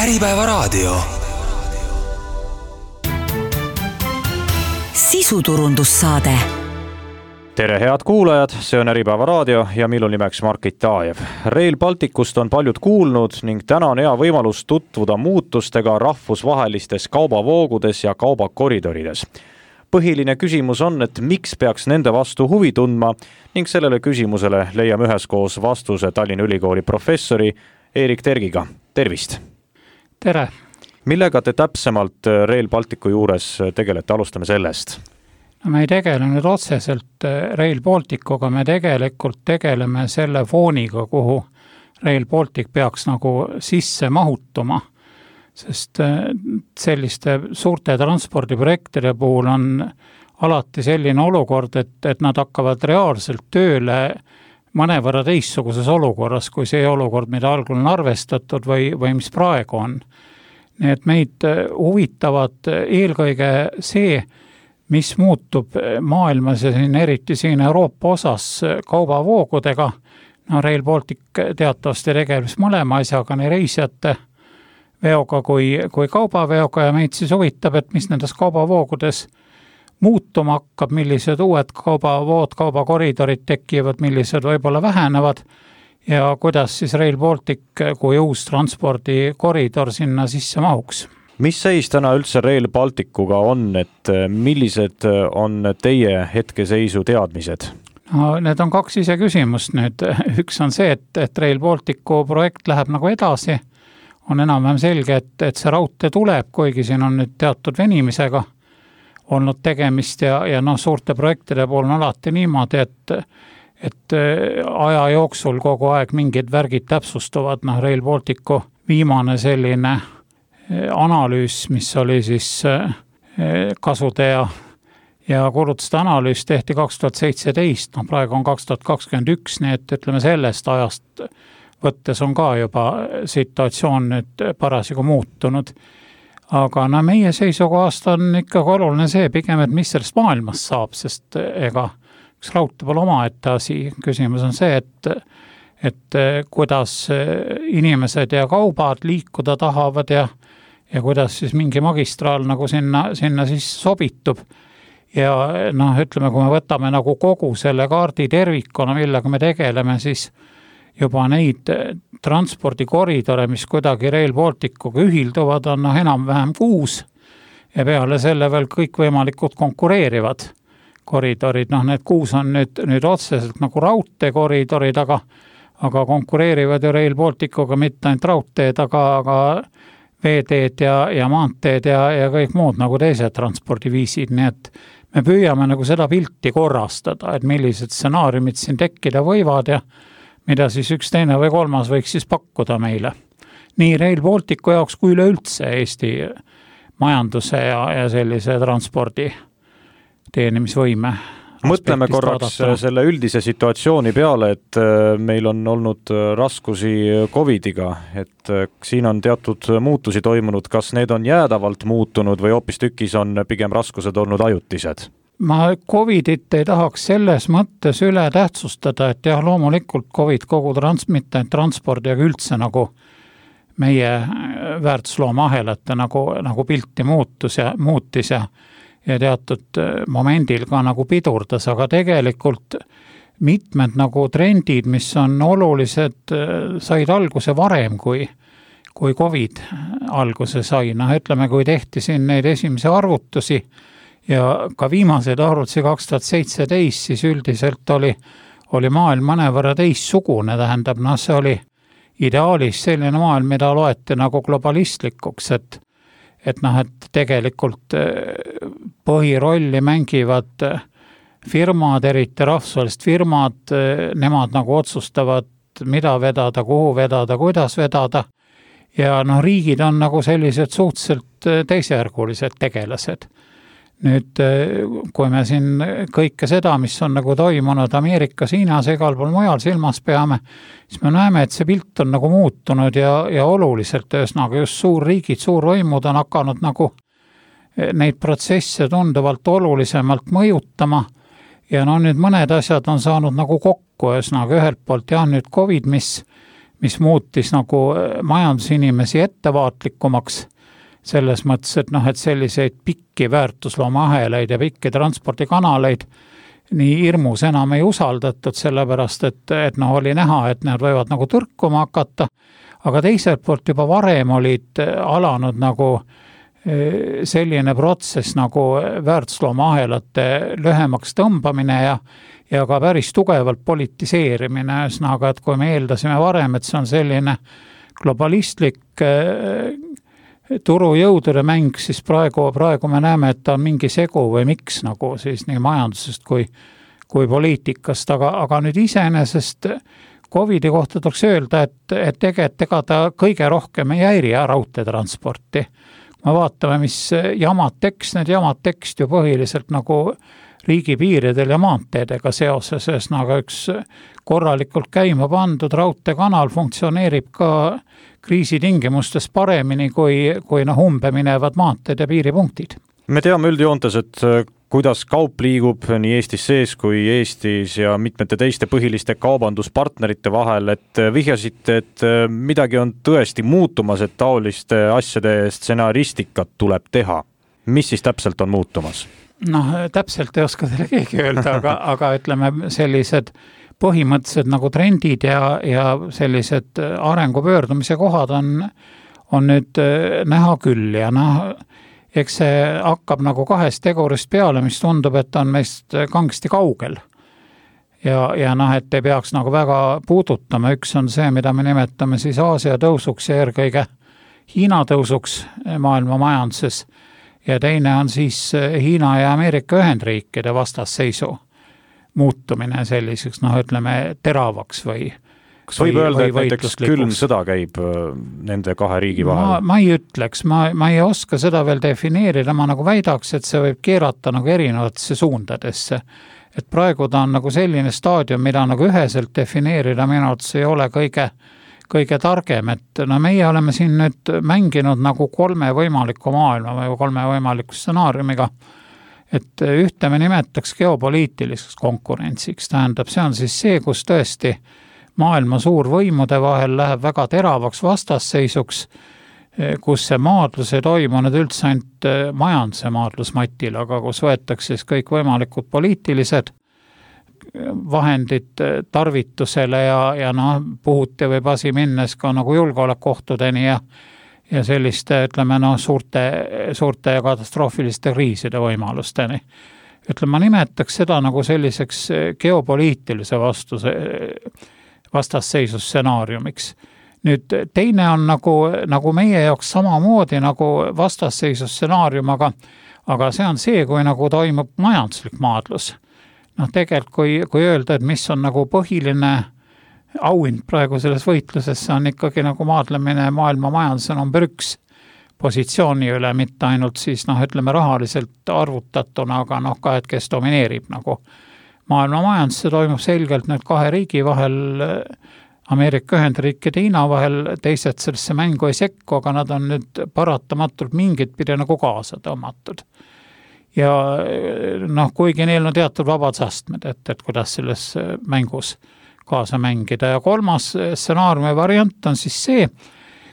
Äripäevaraadio. Sisuturundussaade. Tere head kuulajad, see on Äripäevaraadio ja minu nimeks Margit Taajev. Rail Balticust on paljud kuulnud ning täna on hea võimalus tutvuda muutustega rahvusvahelistes kaubavoogudes ja kaubakoridorides. Põhiline küsimus on, et miks peaks nende vastu huvi tundma ning sellele küsimusele leiame üheskoos vastuse Tallinna Ülikooli professori Erik Tergiga. Tervist! Tere! Millega te täpsemalt Rail Balticu juures tegelete? Alustame sellest. No, me ei tegele nüüd otseselt Rail Balticuga, me tegelikult tegeleme selle fooniga, kuhu Rail Baltic peaks nagu sisse mahutuma. Sest selliste suurte transpordiprojektide puhul on alati selline olukord, et nad hakkavad reaalselt tööle mõnevõrra teistsuguses olukorras, kui see olukord, mida algul on arvestatud või mis praegu on. Nii et meid huvitavad eelkõige see, mis muutub maailmas ja eriti siin Euroopa osas kaubavoogudega. No, Rail Baltic teatavasti tegeles mõlema asjaga, nii reisijate veoga kui kaubaveoga ja meid siis huvitab, et mis nendes kaubavoogudes muutuma hakkab, millised uued kaubavood, kaubakoridorid tekivad, millised võib-olla vähenevad ja kuidas siis Rail Baltic kui uus transpordikoridor sinna sisse mahuks. Mis seis täna üldse Rail Balticuga on, et millised on teie hetkeseisu teadmised? No, need on kaks ise küsimust nüüd. Üks on see, et Rail Balticu projekt läheb nagu edasi. On enam-vähem selge, et see raudtee tuleb, kuigi siin on nüüd teatud venimisega olnud tegemist ja suurte projektide pool on alati niimoodi, et aja jooksul kogu aeg mingid värgid täpsustuvad. Rail Balticu viimane selline analüüs, mis oli siis kasude ja kulutuste analüüs tehti 2017, praegu on 2021, nii et ütleme sellest ajast võttes on ka juba situatsioon nüüd parasjagu muutunud. Aga meie seisukohast on ikkagi oluline see pigem, et mis sellest maailmast saab, sest ega üks raudtee pole omaette asi. Küsimus on see, et kuidas inimesed ja kaubad liikuda tahavad ja kuidas siis mingi magistraal nagu sinna siis sobitub. Ja ütleme, kui me võtame nagu kogu selle kaardi tervikuna, millega me tegeleme, siis juba neid transpordikoridore, mis kuidagi Rail Balticuga ühilduvad, on enam-vähem 6 ja peale selle veel kõik võimalikud konkureerivad koridorid. Need 6 on nüüd otseselt nagu raudteekoridorid, aga konkureerivad ju Rail Balticuga mitte ainult raudteed, aga veeteed ja maanteed ja kõik muud nagu teised transpordiviisid. Nii et me püüame nagu seda pilti korrastada, et millised stsenaariumid siin tekkida võivad ja mida siis üks teine või kolmas võiks siis pakkuda meile. Nii Rail Balticu jaoks kui üleüldse Eesti majanduse ja sellise transpordi teenimisvõime. Mõtleme korraks selle üldise situatsiooni peale, et meil on olnud raskusi Covidiga, et siin on teatud muutusi toimunud. Kas need on jäädavalt muutunud või hoopis tükis on pigem raskused olnud ajutised? Ma Covidit ei tahaks selles mõttes üle tähtsustada, et jah, loomulikult Covid kogu mitte transpordi, aga üldse nagu meie väärtuslooma ahelate nagu pilti muutis ja teatud momendil ka nagu pidurdas, aga tegelikult mitmed nagu trendid, mis on olulised, said alguse varem kui Covid alguse sai. Ütleme, kui tehti siin neid esimesi arvutusi ja ka viimaseid arvutusi 2017, siis üldiselt oli maailm mõnevõrra teistsugune, tähendab, see oli ideaalis selline maailm, mida loeti nagu globalistlikuks, et tegelikult põhirolli mängivad firmad, eriti rahvusvahelised firmad, nemad nagu otsustavad, mida vedada, kuhu vedada, kuidas vedada ja riigid on nagu sellised suhteliselt teisejärgulised tegelased. Nüüd, kui me siin kõike seda, mis on nagu toimunud Ameerikas, Hiinas, igal pool mujal silmas peame, siis me näeme, et see pilt on nagu muutunud ja oluliselt ühesõnaga just suurriigid, suurvõimud on hakanud nagu neid protsesse tunduvalt olulisemalt mõjutama ja nüüd mõned asjad on saanud nagu kokku, ühesõnaga ühelt poolt jah, nüüd Covid, mis mis muutis nagu majandusinimesi ettevaatlikumaks selles mõttes, et et selliseid pikki väärtusloomahelaid ja pikki transpordikanaleid nii hirmus enam ei usaldatud, sellepärast et oli näha, et nad võivad nagu tõrkuma hakata, aga teiselt poolt juba varem olid alanud nagu selline protsess nagu väärtusloomahelate lühemaks tõmbamine ja ka päris tugevalt politiseerimine, ühesõnaga, et kui me eeldasime varem, et see on selline globalistlik turujõudude mäng, siis praegu me näeme, et ta on mingi segu või miks nagu siis nii majandusest kui poliitikast, aga nüüd iseenesest Covidi kohta tuleks öelda, et tegelikult ega ta kõige rohkem ei häiri raudteetransporti. Me vaatame, mis jamad tekst ju põhiliselt nagu riigipiiridel ja maanteedega seoses, ühesõnaga üks korralikult käima pandud raudteekanal funktsioneerib ka kriisitingimustes paremini kui umbe minevad maanteed ja piiripunktid. Me teame üldjoontes, et kuidas kaup liigub nii Eestis sees kui Eestis ja mitmete teiste põhiliste kaubanduspartnerite vahel, et vihjasite, et midagi on tõesti muutumas, et taoliste asjade stsenaaristikat tuleb teha. Mis siis täpselt on muutumas? Täpselt ei oska teile keegi öelda, aga ütleme sellised põhimõtteliselt nagu trendid ja sellised arengupöördumise kohad on nüüd näha küll ja eks see hakkab nagu kahest tegurist peale, mis tundub, et on meist kangesti kaugel. Ja et ei peaks nagu väga puudutama. Üks on see, mida me nimetame siis Aasia tõusuks ja eelkõige Hiina tõusuks maailma majanduses. Ja teine on siis Hiina ja Ameerika Ühendriikide vastasseisu muutumine selliseks, ütleme, teravaks või kas võib öelda, et näiteks külm sõda käib nende kahe riigi vahel? Ma ei ütleks, ma ei oska seda veel defineerida, ma nagu väidaks, et see võib keerata nagu erinevatesse suundadesse. Et praegu ta on nagu selline staadium, mida nagu üheselt defineerida minu arvates ei ole kõige targem, et meie oleme siin nüüd mänginud nagu 3 võimaliku maailma või 3 võimaliku stsenaariumiga, et ühte me nimetaks geopoliitiliseks konkurentsiks, tähendab, see on siis see, kus tõesti maailma suurvõimude vahel läheb väga teravaks vastasseisuks, kus see maadlus ei toimunud üldse ainult majanduse maadlusmatil, aga kus võetakse siis kõik võimalikud poliitilised vahendid tarvitusele ja puhuti võib asi minnes ka nagu julgeolekuohtudeni ja selliste, ütleme, suurte ja katastroofiliste kriiside võimalusteni. Ütleme, ma nimetaks seda nagu selliseks geopoliitilise vastasseisus stsenaariumiks. Nüüd teine on nagu meie jaoks samamoodi nagu vastasseisus stsenaarium, aga see on see, kui nagu toimub majanduslik maadlus. Tegelikult, kui öelda, et mis on nagu põhiline auhind praegu selles võitluses, see on ikkagi nagu maadlemine maailma majanduse number 1 positsiooni üle, mitte ainult siis, ütleme, rahaliselt arvutatuna, aga ka, et kes domineerib nagu maailma majandusse, toimub selgelt nüüd 2 riigi vahel, Ameerika Ühendriikide ja Hiina vahel, teised sellesse mängu ei sekku, aga nad on nüüd paratamatult mingit pidi nagu kaasa tõmmatud. Ja kuigi neil on teatud vabadusastmed, et kuidas selles mängus kaasa mängida. Ja 3. stsenaariumi variant on siis see,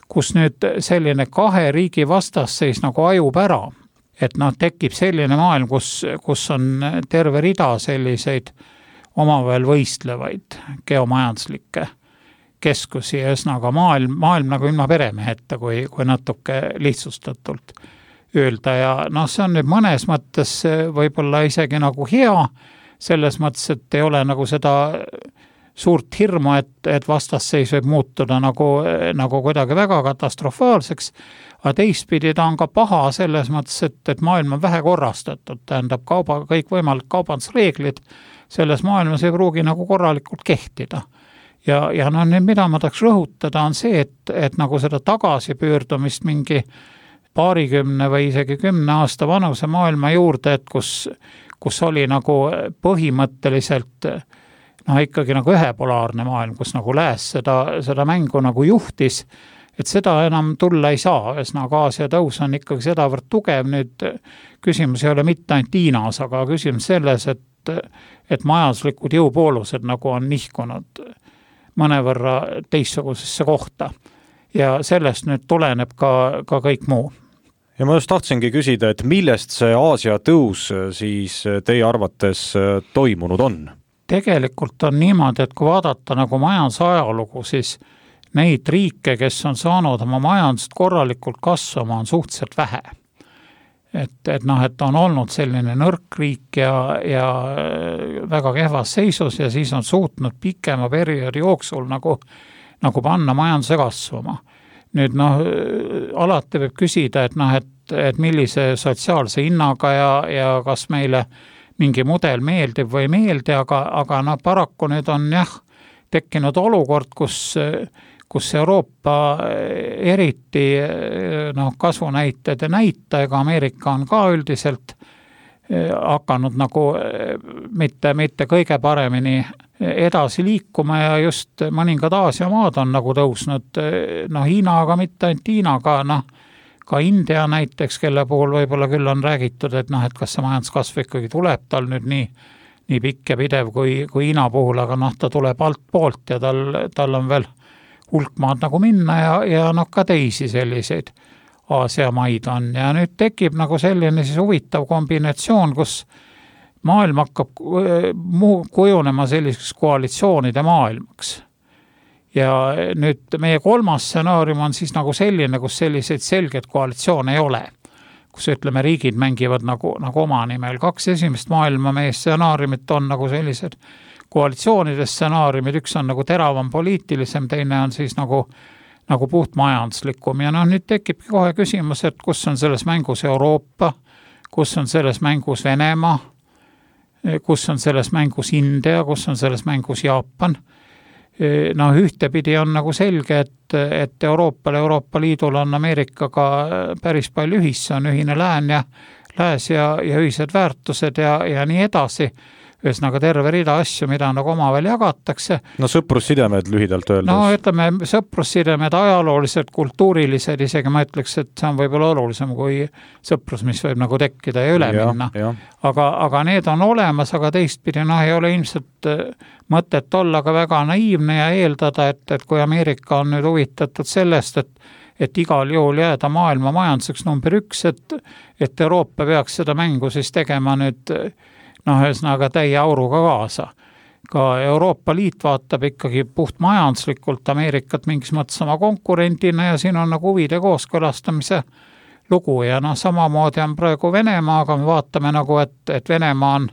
kus nüüd selline 2 riigi vastasseis nagu ajub ära, et tekib selline maailm, kus on terve rida selliseid omavahel võistlevaid geomajanduslikke keskusi ja ühesõnaga maailm nagu ilma peremeheta, kui natuke lihtsustatult öelda ja see on nüüd mõnes mõttes võib-olla isegi nagu hea, selles mõttes, et ei ole nagu seda suurt hirmu, et vastasseis võib muutuda nagu kuidagi väga katastrofaalseks, aga teistpidi ta on ka paha selles mõttes, et maailm on vähe korrastatud, tähendab kõik võimalik kaubandusreeglid selles maailmas ei pruugi nagu korralikult kehtida. Ja nüüd mida ma tahaks rõhutada on see, et nagu seda tagasipöördumist mingi 20 või isegi 10 aasta vanuse maailma juurde, et kus oli nagu põhimõtteliselt ikkagi nagu ühepolaarne maailm, kus nagu lääs seda mängu nagu juhtis, et seda enam tulla ei saa, ühesõnaga Aasia tõus on ikkagi sedavõrd tugev, nüüd küsimus ei ole mitte ainult Hiinas, aga küsimus selles, et majanduslikud jõupoolused nagu on nihkunud mõnevõrra teistsugusesse kohta. Ja sellest nüüd tuleneb ka kõik muu. Ja ma just tahtsingi küsida, et millest see Aasia tõus siis teie arvates toimunud on? Tegelikult on niimoodi, et kui vaadata nagu majandusajalugu, siis neid riike, kes on saanud oma majandust korralikult kasvama, on suhteliselt vähe. Et on olnud selline nõrk riik ja väga kehvas seisus ja siis on suutnud pikema perioodi jooksul nagu panna majanduse kasvama. Nüüd alati võib küsida, et millise sotsiaalse hinnaga ja kas meile mingi mudel meeldib või ei meeldi, aga paraku nüüd on tekkinud olukord, kus Euroopa eriti kasvunäitajad ja näitajaga, Ameerika on ka üldiselt hakanud nagu mitte kõige paremini edasi liikuma ja just mõningad Aasia maad on nagu tõusnud, Hiina, aga mitte ainult Hiinaga, ka India näiteks, kelle puhul võib-olla küll on räägitud, et kas see majanduskasv ikkagi tuleb tal nüüd nii pikk ja pidev kui Hiina puhul, aga ta tuleb alt poolt ja tal on veel hulk maad nagu minna ja ka teisi selliseid Aasia maid on. Ja nüüd tekib nagu selline siis huvitav kombinatsioon, kus maailm hakkab kujunema selliseks koalitsioonide maailmaks. Ja nüüd meie kolmas stsenaarium on siis nagu selline, kus selliseid selgeid koalitsioone ei ole. Kus ütleme, riigid mängivad nagu oma nimel. 2 esimest maailma meie stsenaariumit on nagu sellised koalitsioonide stsenaariumid, üks on nagu teravam poliitilisem, teine on siis nagu puht majanduslikum ja nüüd tekibki kohe küsimus, et kus on selles mängus Euroopa, kus on selles mängus Venemaa, kus on selles mängus India, kus on selles mängus Jaapan. Ühtepidi on nagu selge, et Euroopa Liidul on Ameerikaga päris palju ühis, on ühine lääs ja ühised väärtused ja nii edasi. Ühesõnaga terve rida asju, mida nagu omavahel jagatakse. Sõprussidemed lühidalt öeldes. Ütleme, sõprussidemed ajalooliselt, kultuurilised, isegi ma ütleks, et see on võib-olla olulisem kui sõprus, mis võib nagu tekkida ja üle minna. Aga need on olemas, aga teistpidi ei ole ilmselt mõtet olla ka väga naiivne ja eeldada, et kui Ameerika on nüüd huvitatud sellest, et igal juhul jääda maailma majanduseks number 1, et Euroopa peaks seda mängu siis tegema nüüd ühesõnaga täie auruga kaasa. Ka Euroopa Liit vaatab ikkagi puht majanduslikult Ameerikat mingis mõttes oma konkurendina ja siin on nagu huvide kooskõlastamise lugu ja samamoodi on praegu Venemaa, aga me vaatame nagu, et Venemaa on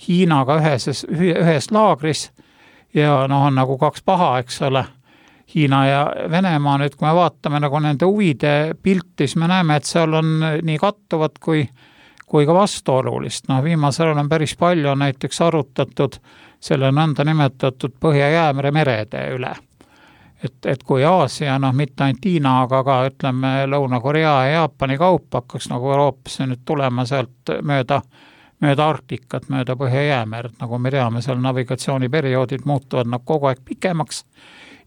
Hiinaga ühes laagris ja on nagu 2 paha, eks ole. Hiina ja Venemaa nüüd, kui me vaatame nagu nende huvide pilti, siis me näeme, et seal on nii kattuvad kui ka vastuolulist. Viimasel on päris palju näiteks arutatud selle nõnda nimetatud Põhja-Jäämere merede üle. Et kui Aasia, mitte ainult Hiina, aga ka ütleme Lõuna-Korea ja Jaapani kaup hakkaks nagu Euroopasse nüüd tulema sealt mööda Arktikat, mööda Põhja-Jäämerd, nagu me teame, seal navigatsiooniperioodid muutuvad kogu aeg pikemaks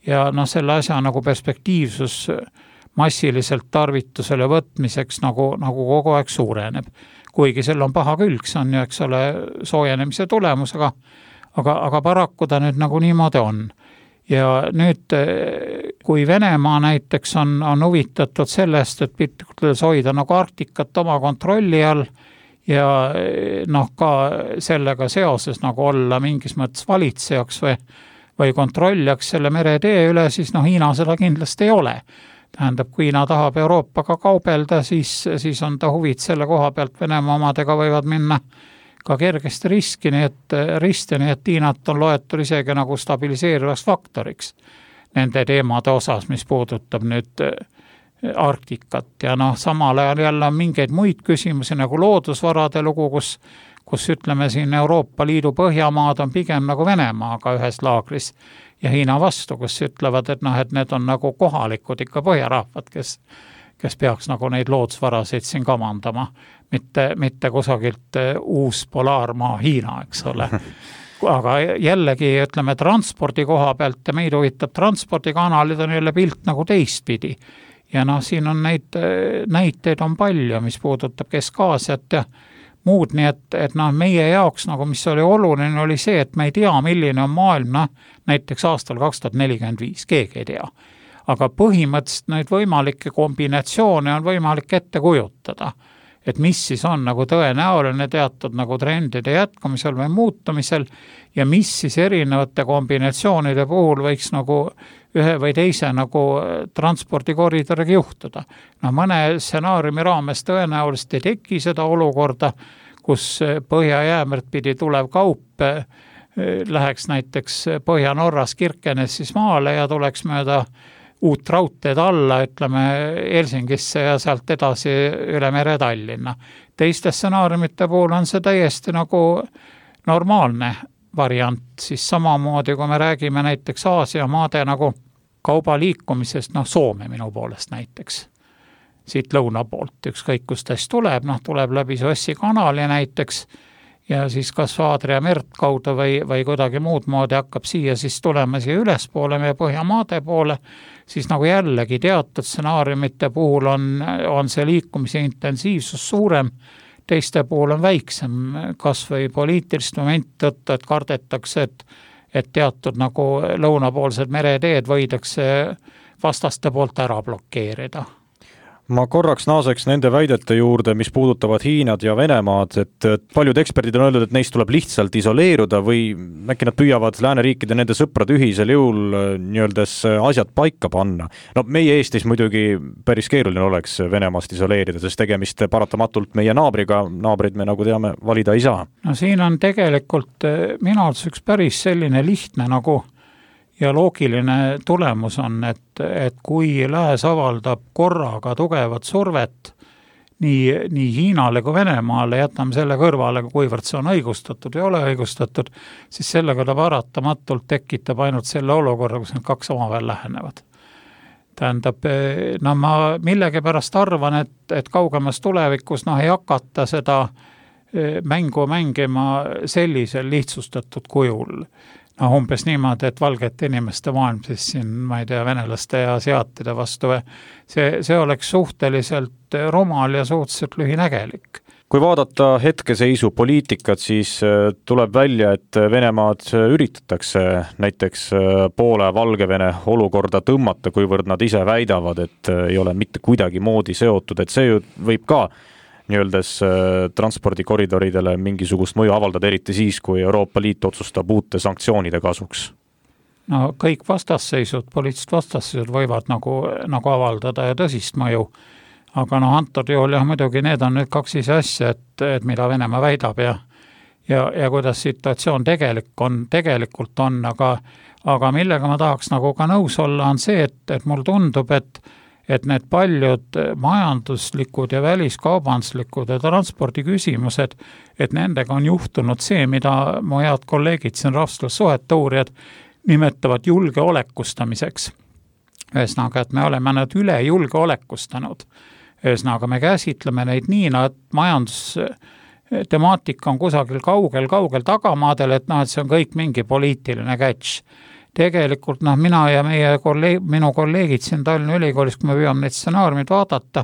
ja selle asja nagu perspektiivsus massiliselt tarvitusele võtmiseks nagu kogu aeg suureneb. Kuigi sel on paha külg, see on ju, eks ole, soojenemise tulemus, aga paraku ta nüüd nagu niimoodi on. Ja nüüd, kui Venemaa näiteks on huvitatud sellest, et piltlikult hoida nagu Arktikat oma kontrolli all ja ka sellega seoses nagu olla mingis mõttes valitsejaks või kontrollijaks selle meretee üle, siis Hiina seda kindlasti ei ole. Tähendab, kui Hiina tahab Euroopaga kaubelda, siis on ta huvid selle koha pealt Venemaa omadega võivad minna ka kergesti risti, nii et Hiinat on loetud isegi nagu stabiliseerivaks faktoriks nende teemade osas, mis puudutab nüüd Arktikat ja samal ajal jälle on mingeid muid küsimusi nagu loodusvarade lugu, kus ütleme siin Euroopa Liidu Põhjamaad on pigem nagu Venemaaga ühes laagris ja Hiina vastu, kus ütlevad, et need on nagu kohalikud ikka põhjarahvad, kes peaks nagu neid loodusvarasid siin kamandama, mitte kusagilt uus polaarmaa Hiina, eks ole. Aga jällegi, ütleme, transpordi koha pealt ja meid huvitab transpordikanalid on jälle pilt nagu teistpidi. Ja siin on näiteid on palju, mis puudutab Kesk-Aasiat ja muud, nii et noh, meie jaoks nagu, mis oli oluline, oli see, et me ei tea, milline on maailm, näiteks aastal 2045, keegi ei tea. Aga põhimõtteliselt neid võimalikke kombinatsioone on võimalik ette kujutada, et mis siis on nagu tõenäoline teatud nagu trendide jätkumisel või muutumisel ja mis siis erinevate kombinatsioonide puhul võiks nagu ühe või teise nagu transpordikoridoriga juhtuda. No mõne stsenaariumi raames tõenäoliselt ei teki seda olukorda, kus Põhja-Jäämerd pidi tulev kaup läheks näiteks Põhja-Norras Kirkenes siis maale ja tuleks mööda uut raudteed alla, ütleme Helsingisse ja sealt edasi üle mere Tallinna. Teiste stsenaariumite puhul on see täiesti nagu normaalne variant, siis samamoodi, kui me räägime näiteks Aasia maade nagu kauba liikumisest, Soome minu poolest näiteks, siit lõuna poolt, ükskõik kust täis tuleb, tuleb läbi Suessi kanali näiteks ja siis kas Aadria merd kaudu või kuidagi muud moodi hakkab siia siis tulema siia ülespoole meie Põhjamaade poole, siis nagu jällegi teatud stsenaariumite puhul on see liikumise intensiivsus suurem, teiste puhul on väiksem, kas või poliitilist momenti tõttu, et kardetakse, et teatud nagu lõunapoolsed mereteed võidakse vastaste poolt ära blokeerida. Ma korraks naaseks nende väidete juurde, mis puudutavad Hiinad ja Venemaad, et paljud eksperdid on öeldud, et neist tuleb lihtsalt isoleeruda või äkki nad püüavad lääneriikide nende sõprade ühisel jõul nii-öeldes asjad paika panna. No meie Eestis muidugi päris keeruline oleks Venemaast isoleerida, sest tegemist paratamatult meie naabriga, naabrid me nagu teame valida ei saa. No siin on tegelikult minu arvates üks päris selline lihtne nagu ja loogiline tulemus on, et kui lääs avaldab korraga tugevat survet nii Hiinale kui Venemaale, jätame selle kõrvale, kuivõrd see on õigustatud või ole õigustatud, siis sellega ta paratamatult tekitab ainult selle olukorra, kus need kaks omavahel lähenevad. Tähendab, ma millegipärast arvan, et kaugemas tulevikus ei hakata seda mängu mängima sellisel lihtsustatud kujul. Umbes niimoodi, et valgete inimeste maailm siis siin, ma ei tea, venelaste ja asiaatide vastu. See oleks suhteliselt rumal ja suhteliselt lühinägelik. Kui vaadata hetkeseisu poliitikat, siis tuleb välja, et Venemaad üritatakse näiteks poole Valgevene olukorda tõmmata, kuivõrd nad ise väidavad, et ei ole mitte kuidagi moodi seotud, et see ju võib ka nii-öeldes transpordikoridoridele mingisugust mõju avaldada, eriti siis, kui Euroopa Liit otsustab uute sanktsioonide kasuks? No kõik vastasseisud, poliitilised vastasseisud võivad nagu avaldada ja tõsist mõju, aga antud juhul muidugi need on nüüd kaks ise asja, et mida Venemaa väidab ja kuidas situatsioon tegelikult on, aga millega ma tahaks nagu ka nõus olla, on see, et mul tundub, et need paljud majanduslikud ja väliskaubanduslikud ja transpordi küsimused, et nendega on juhtunud see, mida mu head kolleegid siin rahvussuhete uurijad nimetavad julgeolekustamiseks. Ühesõnaga, et me oleme nad üle julgeolekustanud. Ühesõnaga, me käsitleme neid nii, et majandustemaatika on kusagil kaugel tagamaadel, et see on kõik mingi poliitiline catch. Tegelikult mina ja minu kolleegid siin Tallinna Ülikoolis, kui me püüame neid stsenaariumid vaadata,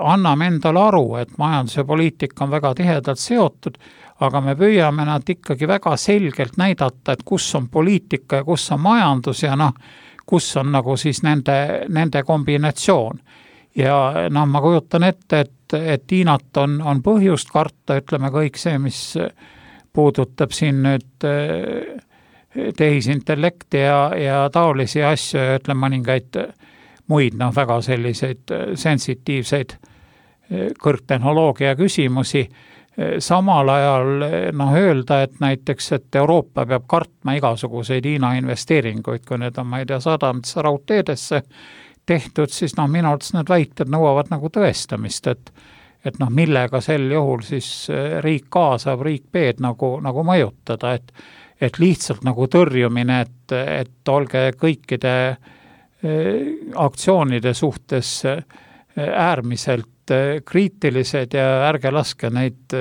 anname endale aru, et majandus ja poliitika on väga tihedalt seotud, aga me püüame nad ikkagi väga selgelt näidata, et kus on poliitika ja kus on majandus ja kus on nagu siis nende kombinatsioon. Ja ma kujutan ette, et Hiinat on põhjust karta, ütleme kõik see, mis puudutab siin nüüd tehisintellekti ja taolisi asju ja ütleme mõningaid muid väga selliseid sensitiivseid kõrgtehnoloogia küsimusi. Samal ajal öelda, et näiteks, et Euroopa peab kartma igasuguseid Hiina investeeringuid, kui need on, ma ei tea, sadamitesse raudteedesse tehtud, siis minu arvates need väited nõuavad nagu tõestamist, et millega sel juhul siis riik A saab riik B-d nagu mõjutada, et lihtsalt nagu tõrjumine, et olge kõikide aktsioonide suhtes äärmiselt kriitilised ja ärge laske neid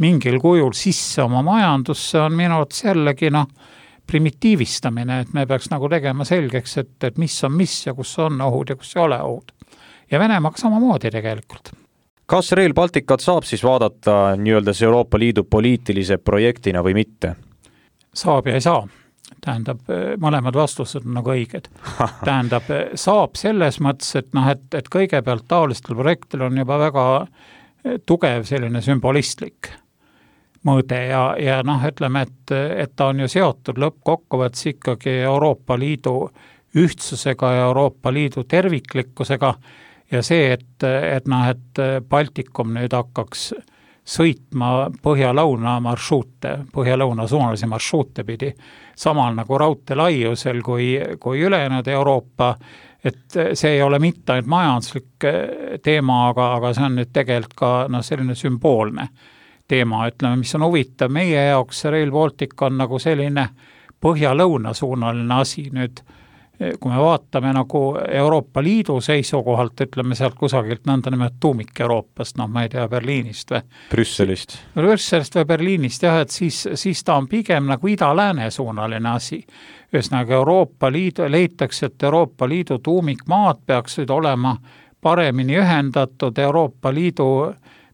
mingil kujul sisse oma majandusse, on minu arvates jällegi primitiivistamine, et me peaks nagu tegema selgeks, et mis on mis ja kus on ohud ja kus ei ole ohud. Ja Venemaaga samamoodi tegelikult. Kas Rail Balticut saab siis vaadata nii-öeldes Euroopa Liidu poliitilise projektina või mitte? Saab ja ei saa. Tähendab, mõlemad vastused on nagu õiged. Tähendab, saab selles mõttes, et kõigepealt taolistel projektil on juba väga tugev selline sümbolistlik mõõde ja ütleme, et ta on ju seotud lõppkokkuvõttes ikkagi Euroopa Liidu ühtsusega ja Euroopa Liidu terviklikkusega ja see, et Baltikum nüüd hakkaks sõitma põhja-lõuna marsruute, põhja-lõuna suunalisi marsruute pidi, samal nagu raudtee laiusel kui ülejäänud Euroopa, et see ei ole mitte ainult majanduslik teema, aga see on nüüd tegelikult ka selline sümboolne teema, ütleme, mis on huvitav meie jaoks, Rail Baltic on nagu selline põhja-lõuna suunaline asi nüüd, kui me vaatame nagu Euroopa Liidu seisukohalt, ütleme sealt kusagilt nõnda nimelt tuumik Euroopast, ma ei tea, Berliinist või Brüsselist või Berliinist, jah, et siis ta on pigem nagu ida-lääne suunaline asi. Ühesõnaga Euroopa Liidu, leitakse, et Euroopa Liidu tuumikmaad peaksid olema paremini ühendatud Euroopa Liidu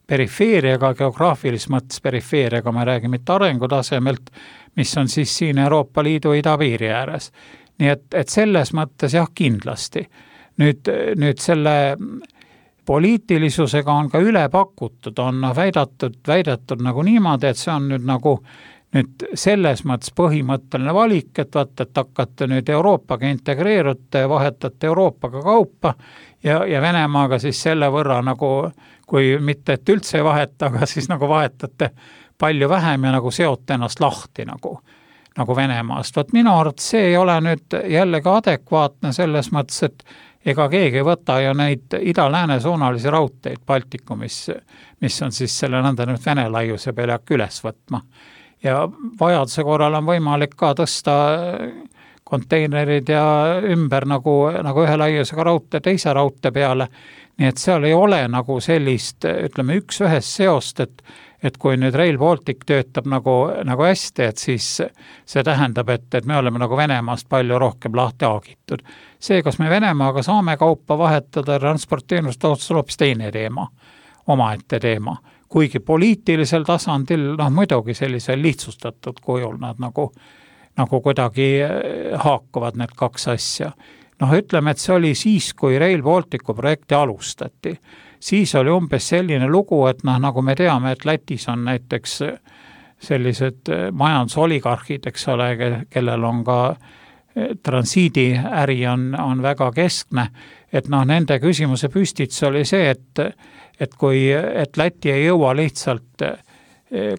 perifeeriaga, geograafilis mõttes perifeeriaga, me räägime mitte arengutasemelt, mis on siis siin Euroopa Liidu idapiiri ääres. Nii et selles mõttes jah, kindlasti. Nüüd selle poliitilisusega on ka üle pakutud, on väidatud nagu niimoodi, et see on nüüd selles mõttes põhimõtteline valik, et hakkate nüüd Euroopaga integreerute ja vahetate Euroopaga kaupa ja Venemaaga siis selle võrra nagu, kui mitte, et üldse ei vaheta, aga siis nagu vahetate palju vähem ja nagu seote ennast lahti nagu Venemaast. Minu arvates see ei ole nüüd jällegi adekvaatne selles mõttes, et ega keegi ei võta ju neid ida-lääne suunalisi raudteid Baltikumis, mis on siis selle nõnda nüüd Vene laiuse peale üles võtma. Ja vajaduse korral on võimalik ka tõsta konteinerid ja ümber nagu ühe laiusega raudtee teise raudtee peale. Nii et seal ei ole nagu sellist, ütleme, üks ühest seost, et kui nüüd Rail Baltic töötab nagu hästi, et siis see tähendab, et me oleme nagu Venemaast palju rohkem lahti haagitud. See, kas me Venemaaga saame kaupa vahetada transportteenust, on hoopis teine teema, omaette teema. Kuigi poliitilisel tasandil, muidugi sellisel lihtsustatud kujul nad nagu kuidagi haakuvad need kaks asja. Ütleme, et see oli siis, kui Rail Balticu projekti alustati. Siis oli umbes selline lugu, et nagu me teame, et Lätis on näiteks sellised majandusoligarhid, eks ole, kellel on ka transiidiäri on väga keskne, et nende küsimuse püstits oli see, et Läti ei jõua lihtsalt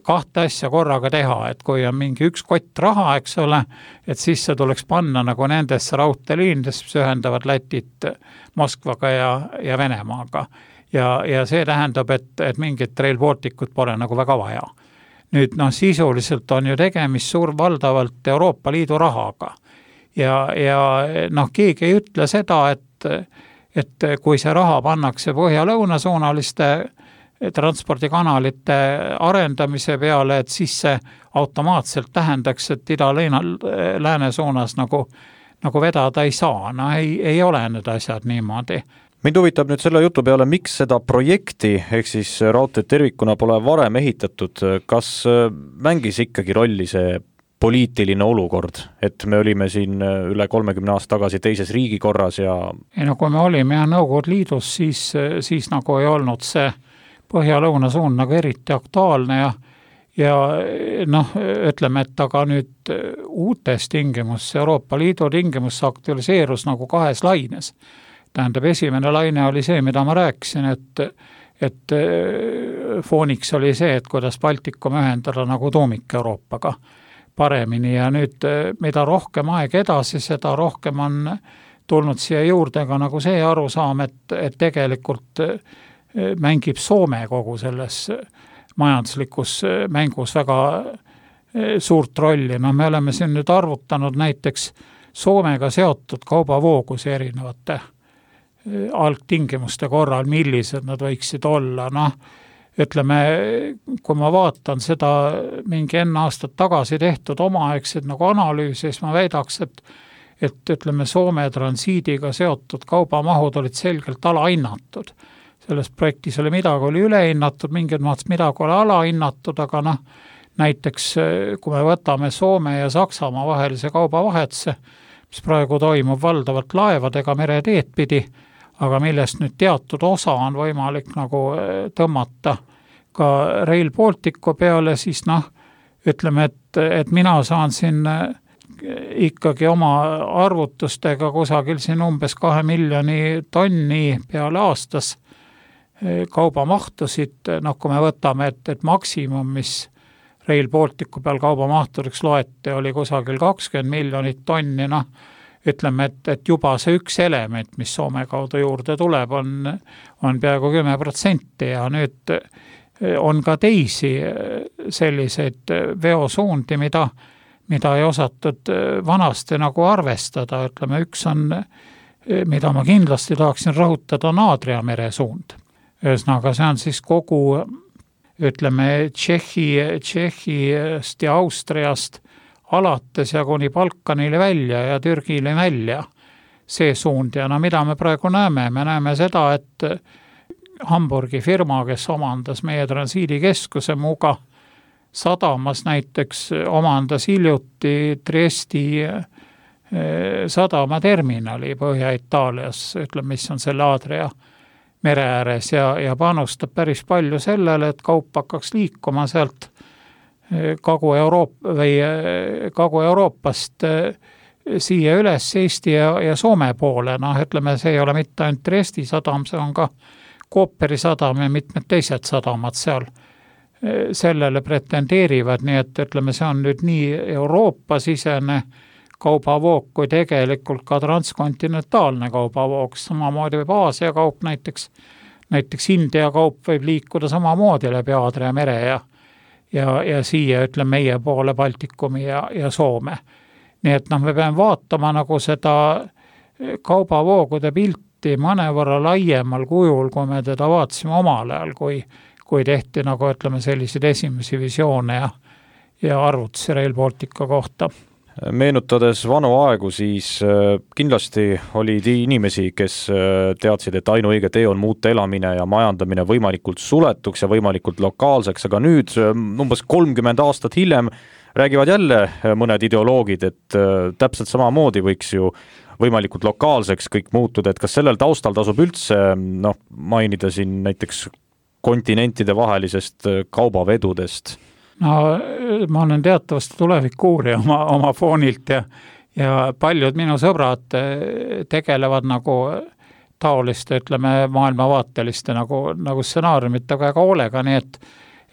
kahte asja korraga teha, et kui on mingi üks kott raha, eks ole, et siis see tuleks panna nagu nendesse raudteeliinidesse, mis ühendavad Lätit Moskvaga ja Venemaaga. Ja see tähendab, et mingit Rail Balticut pole nagu väga vaja. Nüüd sisuliselt on ju tegemist valdavalt Euroopa Liidu rahaga. Ja keegi ei ütle seda, et kui see raha pannakse põhja-lõuna suunaliste transpordikanalite arendamise peale, et siis see automaatselt tähendaks, et ida-lääne suunas nagu vedada ei saa. Ei ole need asjad niimoodi. Mind huvitab nüüd selle jutu peale, miks seda projekti, ehk siis raudteed tervikuna pole varem ehitatud, kas mängis ikkagi rolli see poliitiline olukord, et me olime siin üle 30 aasta tagasi teises riigikorras ja... Kui me olime Nõukogude Liidus, siis nagu ei olnud see põhja-lõuna suund nagu eriti aktuaalne ja ütleme, et aga nüüd uutes tingimus, Euroopa Liidu tingimus aktualiseerus nagu kahes laines. Tähendab, esimene laine oli see, mida ma rääkisin, et fooniks oli see, et kuidas Baltikum ühendada nagu tuumik Euroopaga paremini ja nüüd mida rohkem aeg edasi, seda rohkem on tulnud siia juurde ka nagu see arusaam, et tegelikult mängib Soome kogu selles majanduslikus mängus väga suurt rolli. Me oleme siin nüüd arvutanud näiteks Soomega seotud kaubavoogusi erinevate algtingimuste korral, millised nad võiksid olla. Ütleme, kui ma vaatan seda mingi enne aastat tagasi tehtud omaaegseid nagu analüüsi, siis ma väidaks, et ütleme, Soome transiidiga seotud kaubamahud olid selgelt alahinnatud. selles projektis oli midagi oli ülehinnatud, mingid mõttes midagi oli alahinnatud, aga näiteks kui me võtame Soome ja Saksamaa vahelise kaubavahetuse, mis praegu toimub valdavalt laevadega mereteed pidi, aga millest nüüd teatud osa on võimalik nagu tõmmata ka Rail Balticu peale, siis ütleme, et mina saan siin ikkagi oma arvutustega kusagil siin umbes 2 miljoni tonni peale aastas kaubamahtusid, kui me võtame, et maksimum, mis Rail Balticu peal kaubamahturiks loeti, oli kusagil 20 miljonit tonni, ütleme, et juba see üks element, mis Soome kaudu juurde tuleb, on peaaegu 10% ja nüüd on ka teisi selliseid veosuundi, mida ei osatud vanasti nagu arvestada, ütleme, üks on, mida ma kindlasti tahaksin rõhutada, on Aadria mere suund. Ühesõnaga, see on siis kogu, ütleme, Tšehhist ja Austriast alates ja kuni Balkanile välja ja Türgile välja see suund ja mida me praegu näeme? Me näeme seda, et Hamburgi firma, kes omandas meie transiidikeskuse Muuga sadamas näiteks, omandas hiljuti Triesti sadamaterminali Põhja-Itaalias, ütleme, mis on selle Aadria mere ääres ja panustab päris palju sellele, et kaup hakkaks liikuma sealt Kagu-Euroopast siia üles Eesti ja Soome poole. Ütleme, see ei ole mitte ainult Triesti sadam, see on ka Kooperi sadam ja mitmed teised sadamad seal sellele pretendeerivad, nii et ütleme, see on nüüd nii Euroopa-sisene kaubavoog kui tegelikult ka transkontinentaalne kaubavoog, samamoodi võib Aasia kaup näiteks India kaup võib liikuda samamoodi läbi Aadria mere ja siia, ütleme, meie poole Baltikumi ja Soome. Nii et me peame vaatama nagu seda kaubavoogude pilti mõnevõrra laiemal kujul, kui me teda vaatasime omal ajal, kui tehti nagu, ütleme, selliseid esimesi visioone ja arvutusi Rail Baltica kohta. Meenutades vanu aegu, siis kindlasti oli inimesi, kes teadsid, et ainuõige tee on muuta elamine ja majandamine võimalikult suletuks ja võimalikult lokaalseks, aga nüüd umbes 30 aastat hiljem räägivad jälle mõned ideoloogid, et täpselt samamoodi võiks ju võimalikult lokaalseks kõik muutuda, et kas sellel taustal tasub üldse mainida siin näiteks kontinentide vahelisest kaubavedudest? Ma olen teatavasti tulevikuuurija oma foonilt ja paljud minu sõbrad tegelevad nagu taoliste, ütleme, maailmavaateliste nagu stsenaariumite väga hoolega, nii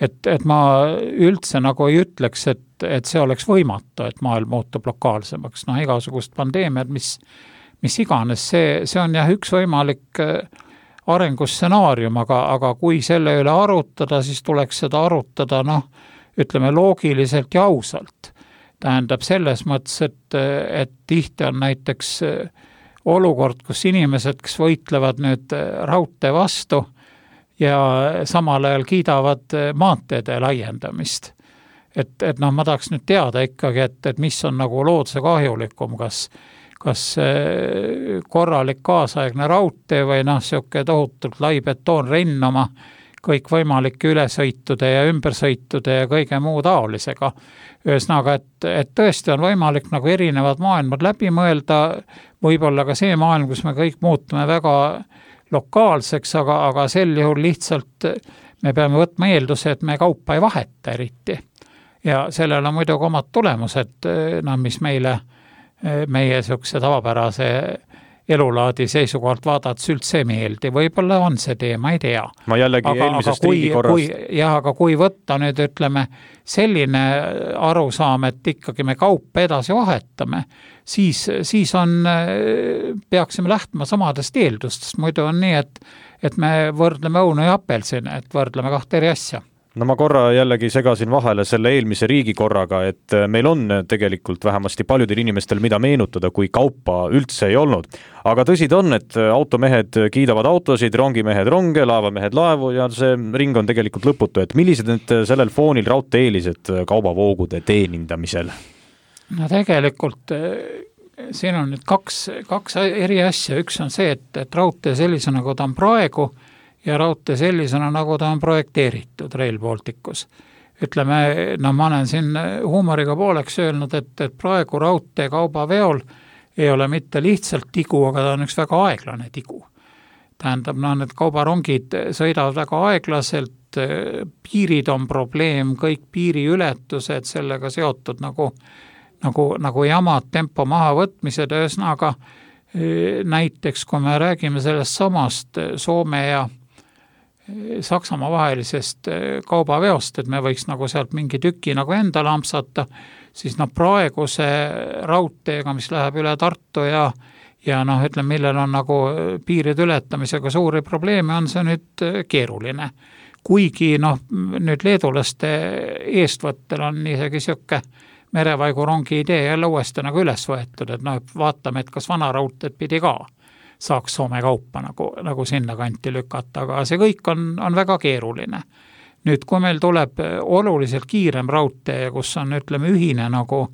et ma üldse nagu ei ütleks, et see oleks võimatu, et maailm muutub lokaalsemaks. Igasugust pandeemiad, mis iganes, see on jah üks võimalik arengustsenaarium, aga kui selle üle arutada, siis tuleks seda arutada, ütleme, loogiliselt ja ausalt. Tähendab selles mõttes, et tihti on näiteks olukord, kus inimesed, kes võitlevad nüüd raudtee vastu ja samal ajal kiidavad maanteede laiendamist. Et ma tahaks nüüd teada ikkagi, et mis on nagu looduse kahjulikum, kas korralik kaasaegne raudtee või siuke tohutult lai betoonrenn oma kõikvõimalike ülesõitude ja ümbersõitude ja kõige muu taolisega. Ühesõnaga, et tõesti on võimalik nagu erinevad maailmad läbi mõelda, võib-olla ka see maailm, kus me kõik muutume väga lokaalseks, aga sel juhul lihtsalt me peame võtma eelduse, et me kaupa ei vaheta eriti. Ja sellel on muidugi omad tulemused, mis meie siukse tavapärase elulaadi seisukohalt vaadates üldse meeldi. Võib-olla on see tee, ma ei tea. Ma jällegi eelmisest riigikorrast. Aga kui võtta nüüd, ütleme, selline arusaam, et ikkagi me kaupa edasi vahetame, siis peaksime lähtuma samadest eeldustest. Muidu on nii, et me võrdleme õunu ja apelsine, et võrdleme kahte eri asja. No ma korra jällegi segasin vahele selle eelmise riigikorraga, et meil on tegelikult vähemasti paljudel inimestel mida meenutada, kui kaupa üldse ei olnud. Aga tõsi ta on, et automehed kiidavad autosid, rongimehed ronge, laevamehed laevu ja see ring on tegelikult lõputu. Et millised need sellel foonil raudtee-eelised kaubavoogude teenindamisel? No tegelikult siin on nüüd kaks eri asja. Üks on see, et raudtee sellise nagu ta on praegu ja raudtee sellisena, nagu ta on projekteeritud Rail Balticus. Ütleme, ma olen siin huumoriga pooleks öelnud, et praegu raudtee kaubaveol ei ole mitte lihtsalt tigu, aga ta on üks väga aeglane tigu. Tähendab, need kaubarongid sõidavad väga aeglaselt, piirid on probleem, kõik piiriületused sellega seotud nagu jamad, tempo mahavõtmised, ühesõnaga näiteks kui me räägime sellest samast Soome ja Saksamaa vahelisest kaubaveost, et me võiks nagu sealt mingi tüki nagu enda lampsata, siis praeguse raudteega, mis läheb üle Tartu ja ütleme, millel on nagu piiride ületamisega suuri probleeme, on see nüüd keeruline. Kuigi nüüd leedulaste eestvõttel on isegi siuke merevaigu-rongi idee jälle uuesti nagu üles võetud, et vaatame, et kas vana raudteed pidi ka saaks Soome kaupa nagu sinna kanti lükata, aga see kõik on väga keeruline. Nüüd, kui meil tuleb oluliselt kiirem raudtee, kus on, ütleme, ühine nagu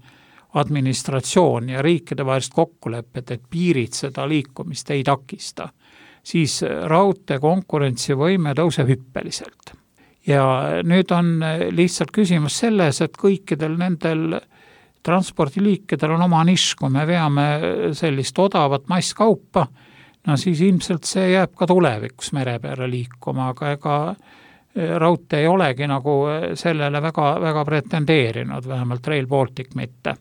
administratsioon ja riikide vahelist kokkulepped, et piirid seda liikumist ei takista, siis raudtee konkurentsivõime tõuseb hüppeliselt. Ja nüüd on lihtsalt küsimus selles, et kõikidel nendel transpordiliikidel on oma nišš, kui me veame sellist odavat masskaupa, siis ilmselt see jääb ka tulevikus mere peale liikuma, aga ega raudtee ei olegi nagu sellele väga, väga pretendeerinud, vähemalt Rail Baltic mitte.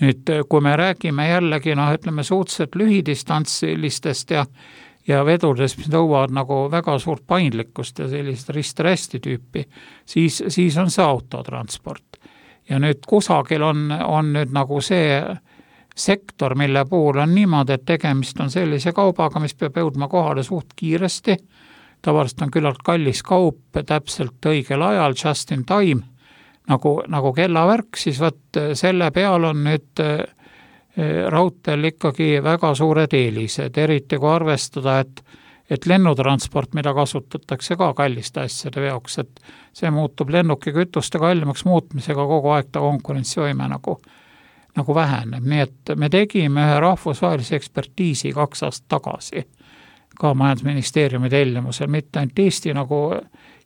Nüüd, kui me räägime jällegi, ütleme, suhteliselt lühidistantsilistest ja vedudest, mis nõuavad nagu väga suurt paindlikkust ja sellist rist-resti tüüpi, siis on see autotransport. Ja nüüd kusagil on nüüd nagu see sektor, mille puhul on niimoodi, et tegemist on sellise kaubaga, mis peab jõudma kohale suht kiiresti, tavaliselt on küllalt kallis kaup, täpselt õigel ajal, just in time, nagu kellavärk, siis selle peal on nüüd raudteel ikkagi väga suured eelised, eriti kui arvestada, et lennutransport, mida kasutatakse ka kalliste asjade veoks, et see muutub lennuki kütuste kallimaks muutmisega kogu aeg ta konkurentsivõime nagu väheneb. Nii et me tegime ühe rahvusvahelise ekspertiisi 2 aastat tagasi, ka majandusministeeriumi tellimusel, mitte ainult Eesti nagu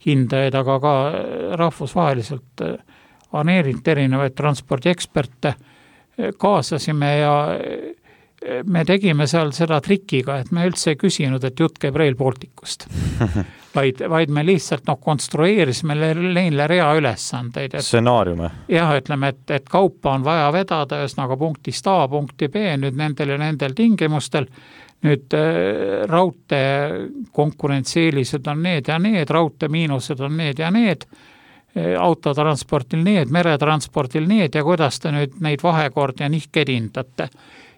hindajaid, aga ka rahvusvaheliselt aneerinud erinevaid transpordieksperte kaasasime ja me tegime seal seda trikiga, et me üldse ei küsinud, et jutt käib Rail Balticust, vaid me lihtsalt konstrueerisime neile rea ülesandeid. Stsenaariume. Jah, ütleme, et kaupa on vaja vedada ühesõnaga punktist A punkti B nüüd nendel ja nendel tingimustel. Nüüd raudtee konkurentsieelised on need ja need, raudtee miinused on need ja need, autotransportil need, meretransportil need ja kuidas te nüüd neid vahekord ja nihked hindate.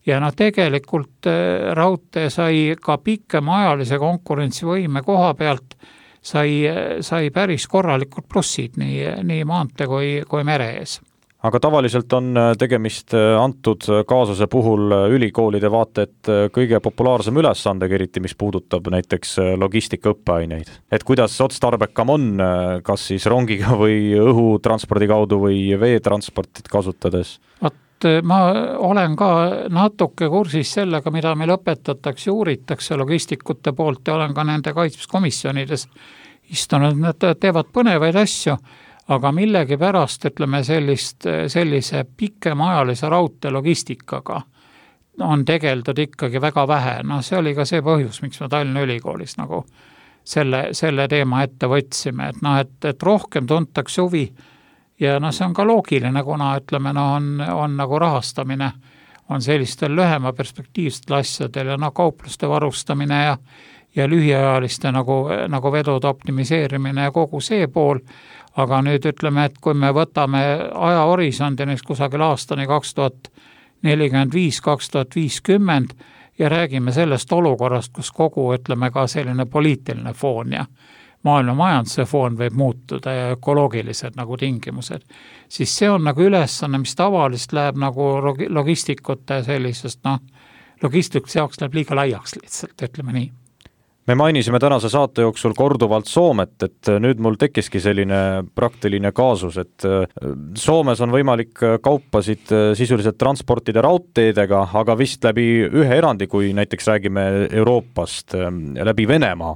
Ja tegelikult raudtee sai ka pikemaajalise konkurentsivõime koha pealt, sai päris korralikud plussid nii maantee kui mere ees. Aga tavaliselt on tegemist antud kaasuse puhul ülikoolide vaata, et kõige populaarsem ülesandega, eriti mis puudutab näiteks logistika õppeaineid. Et kuidas otstarbekam on, kas siis rongiga või õhutranspordi kaudu või veetransportit kasutades? Ma olen ka natuke kursis sellega, mida meil õpetatakse ja uuritakse logistikute poolt ja olen ka nende kaitsmiskomisjonides istunud, nad teevad põnevaid asju, aga millegi pärast, ütleme, sellise pikemaajalise raudtee logistikaga on tegeldud ikkagi väga vähe. See oli ka see põhjus, miks me Tallinna Ülikoolis nagu selle teema ette võtsime, et rohkem tuntakse huvi ja see on ka loogiline, kuna ütleme, on nagu rahastamine on sellistel lühema perspektiivsetel asjadel ja kaupluste varustamine ja lühiajaliste nagu vedude optimiseerimine ja kogu see pool. Aga nüüd ütleme, et kui me võtame ajahorisondi kusagil aastani 2045-2050 ja räägime sellest olukorrast, kus kogu, ütleme, ka selline poliitiline foon ja maailma majanduse foon võib muutuda ja ökoloogilised nagu tingimused, siis see on nagu ülesanne, mis tavalist läheb nagu logistikute sellisest, logistikute jaoks läheb liiga laiaks lihtsalt, ütleme nii. Me mainisime tänase saate jooksul korduvalt Soomet, et nüüd mul tekkiski selline praktiline kaasus, et Soomes on võimalik kaupasid sisuliselt transportida raudteedega, aga vist läbi ühe erandi, kui näiteks räägime Euroopast, läbi Venemaa.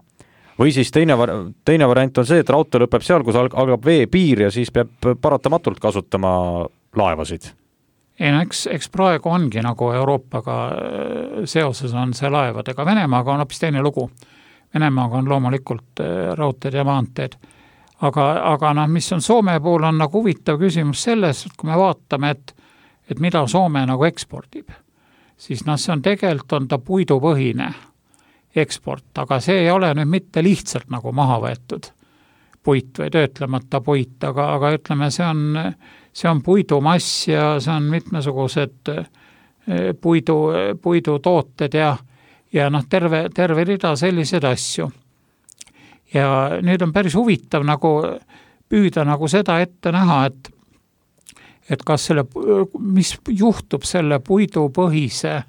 Või siis teine variant on see, et raudtee lõpeb seal, kus algab veepiir ja siis peab paratamatult kasutama laevasid. Ei no eks praegu ongi nagu Euroopaga seoses on see laevadega. Venemaaga on hoopis teine lugu. Venemaaga on loomulikult raudteed ja maanteed. Aga mis on Soome puhul on nagu huvitav küsimus selles, et kui me vaatame, et mida Soome nagu ekspordib, siis see on tegelikult on ta puidupõhine eksport, aga see ei ole nüüd mitte lihtsalt nagu maha võetud puit või töötlemata puit, aga ütleme, see on puidumass ja see on mitmesugused puidutooted ja terve rida selliseid asju. Ja nüüd on päris huvitav nagu püüda nagu seda ette näha, et kas mis juhtub selle puidupõhise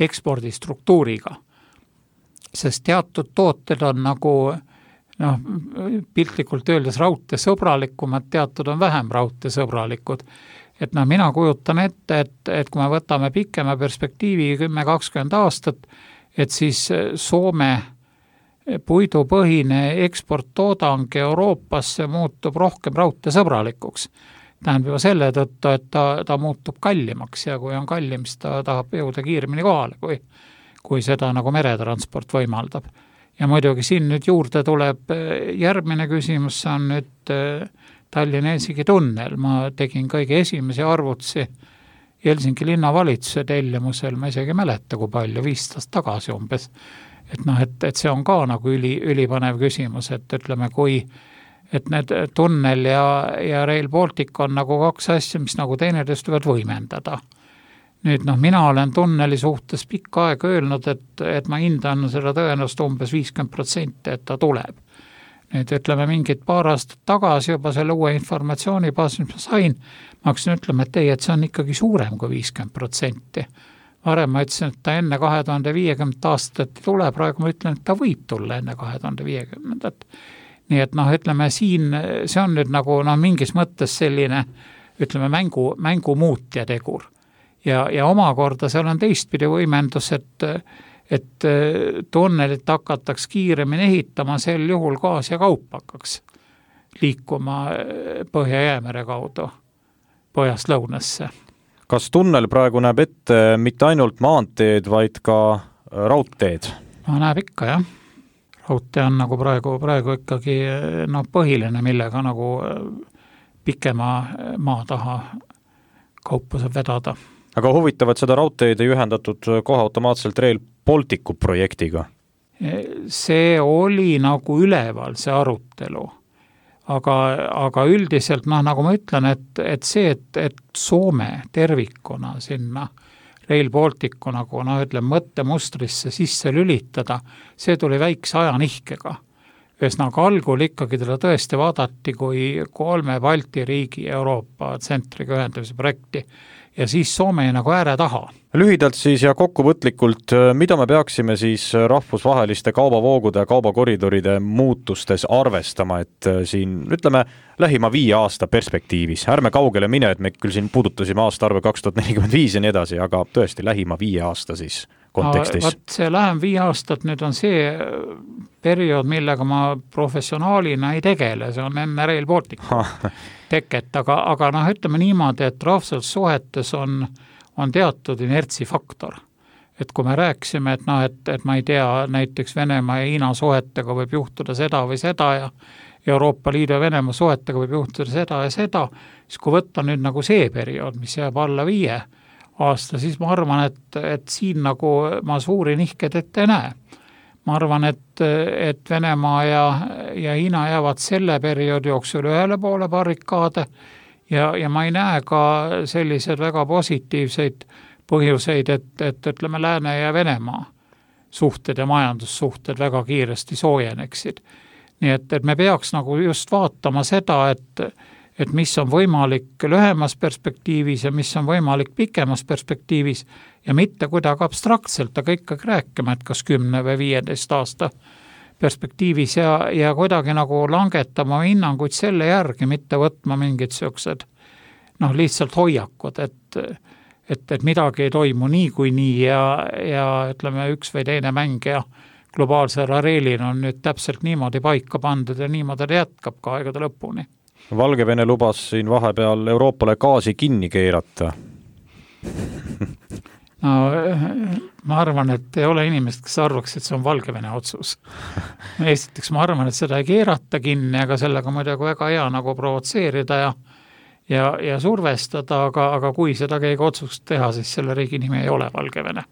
ekspordistruktuuriga. Sest teatud tooted on nagu piltlikult öeldes raudteesõbralikumad, teatud on vähem raudteesõbralikud. Et mina kujutan ette, et kui me võtame pikema perspektiivi 10-20 aastat, et siis Soome puidupõhine eksporttoodang Euroopasse muutub rohkem raudteesõbralikuks. Tähendab juba selle tõttu, et ta muutub kallimaks ja kui on kallim, siis ta tahab jõuda kiiremini kohale, kui seda nagu meretransport võimaldab. Ja muidugi siin nüüd juurde tuleb järgmine küsimus, see on nüüd Tallinna-Helsingi tunnel. Ma tegin kõige esimese arvutsi Helsingi linnavalitsuse tellimusel, ma isegi mäleta, kui palju, 5 aastat tagasi umbes. Et see on ka nagu ülipanev küsimus, et ütleme, et need tunnel ja Rail Baltic on nagu 2 asja, mis nagu teineteist võivad võimendada. Nüüd mina olen tunneli suhtes pikka aega öelnud, et ma hindan seda tõenäoliselt umbes 50%, et ta tuleb. Nüüd ütleme mingid paar aastat tagasi juba selle uue informatsiooni baasil, mis ma sain, ma hakkasin ütlema, et see on ikkagi suurem kui 50%. Varem ma ütlesin, et ta enne 2050 aastat ei tule, praegu ma ütlen, et ta võib tulla enne 2050. Nii et ütleme siin, see on nüüd nagu mingis mõttes selline, ütleme mängu muutja tegur. Ja omakorda seal on teistpidi võimendus, et tunnelit hakataks kiiremini ehitama, sel juhul gaas ja kaup hakkaks liikuma Põhja-Jäämere kaudu põhjast lõunasse. Kas tunnel praegu näeb ette mitte ainult maanteed, vaid ka raudteed? Näeb ikka, jah. Raudtee on nagu praegu ikkagi põhiline, millega nagu pikema maa taha kaupa saab vedada. Aga huvitav, et seda raudteed ei ühendatud kohe automaatselt Rail Balticu projektiga? See oli nagu üleval see arutelu, aga üldiselt nagu ma ütlen, et see, et Soome tervikuna sinna Rail Balticu nagu mõttemustrisse sisse lülitada, see tuli väikse ajanihkega. Ühesõnaga algul ikkagi teda tõesti vaadati kui 3 Balti riigi Euroopa tsentriga ühendamise projekti ja siis Soome nagu ääre taha. Lühidalt siis ja kokkuvõtlikult, mida me peaksime siis rahvusvaheliste kaubavoogude ja kaubakoridoride muutustes arvestama, et siin ütleme lähima 5 aasta perspektiivis, ärme kaugele mine, et me küll siin puudutasime aastaarve 2045 ja nii edasi, aga tõesti lähima 5 aasta siis kontekstis. See lähem 5 aastat nüüd on see periood, millega ma professionaalina ei tegele, see on enne Rail Balticu teket, aga ütleme niimoodi, et rahvussuhetes on teatud inertsifaktor. Et kui me rääksime, et ma ei tea, näiteks Venemaa ja Hiina suhetega võib juhtuda seda või seda ja Euroopa Liidu ja Venemaa suhetega võib juhtuda seda ja seda, siis kui võtta nüüd nagu see periood, mis jääb alla 5 aasta, siis ma arvan, et siin nagu ma suuri nihked ette ei näe. Ma arvan, et Venemaa ja Hiina jäävad selle perioodi jooksul ühele poole barrikaade ja ma ei näe ka sellised väga positiivseid põhjuseid, et ütleme Lääne ja Venemaa suhted ja majandussuhted väga kiiresti soojeneksid. Nii et me peaks nagu just vaatama seda, et mis on võimalik lühemas perspektiivis ja mis on võimalik pikemas perspektiivis ja mitte kuidagi abstraktselt, aga ikkagi rääkima, et kas 10 või 15 aasta perspektiivis ja kuidagi nagu langetama hinnanguid selle järgi, mitte võtma mingid sellised lihtsalt hoiakud, et midagi ei toimu nii kui nii ja ütleme üks või teine mäng ja globaalsel areelil on nüüd täpselt niimoodi paika pandud ja niimoodi ta jätkab ka aegade lõpuni. Valgevene lubas siin vahepeal Euroopale gaasi kinni keerata. No, ma arvan, et ei ole inimest, kes arvaks, et see on Valgevene otsus. Esiteks ma arvan, et seda ei keerata kinni, aga sellega muidugi väga hea nagu provotseerida ja survestada, aga kui seda keegi otsust teha, siis selle riigi nimi ei ole Valgevene.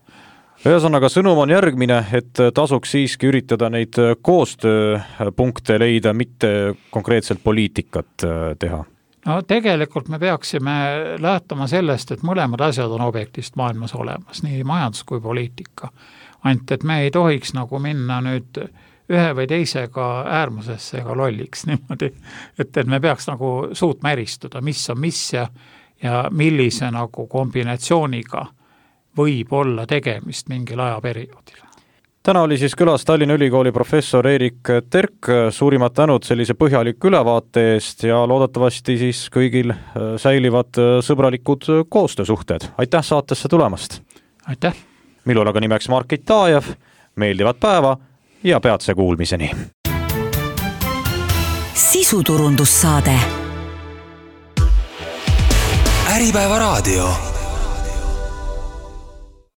Ühesõnaga sõnum on järgmine, et tasuks siiski üritada neid koostööpunkte leida, mitte konkreetselt poliitikat teha. No tegelikult me peaksime lähtuma sellest, et mõlemad asjad on objektist maailmas olemas, nii majandus kui poliitika. Ainult, et me ei tohiks nagu minna nüüd ühe või teisega äärmusesse ega lolliks niimoodi, et me peaks nagu suutma eristuda, mis on mis ja millise nagu kombinatsiooniga võib olla tegemist mingil ajaperioodil. Täna oli siis külas Tallinna Ülikooli professor Erik Terk, suurimad tänud sellise põhjaliku ülevaate eest ja loodetavasti siis kõigil säilivad sõbralikud koostöösuhted. Aitäh saatesse tulemast! Aitäh! Minul aga nimeks Markit Taajev, meeldivat päeva ja peatse kuulmiseni! Sisuturundussaade Äripäeva raadio